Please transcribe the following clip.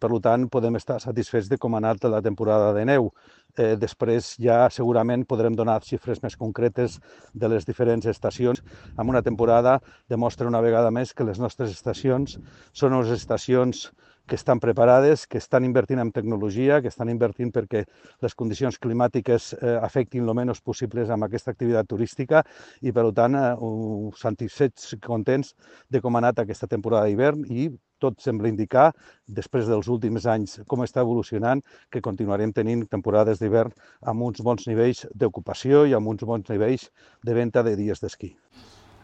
per tant podem estar satisfets de com ha anat la temporada de neu. Després ja segurament podrem donar xifres més concretes de les diferents estacions. En una temporada demostra una vegada més que les nostres estacions són unes estacions que estan preparades, que estan invertint en tecnologia, que estan invertint perquè les condicions climàtiques afectin el menys possible amb aquesta activitat turística i, per tant, satisfets i contents de com ha anat aquesta temporada d'hivern i tot sembla indicar, després dels últims anys, com està evolucionant, que continuarem tenint temporades d'hivern amb uns bons nivells d'ocupació i amb uns bons nivells de venda de dies d'esquí.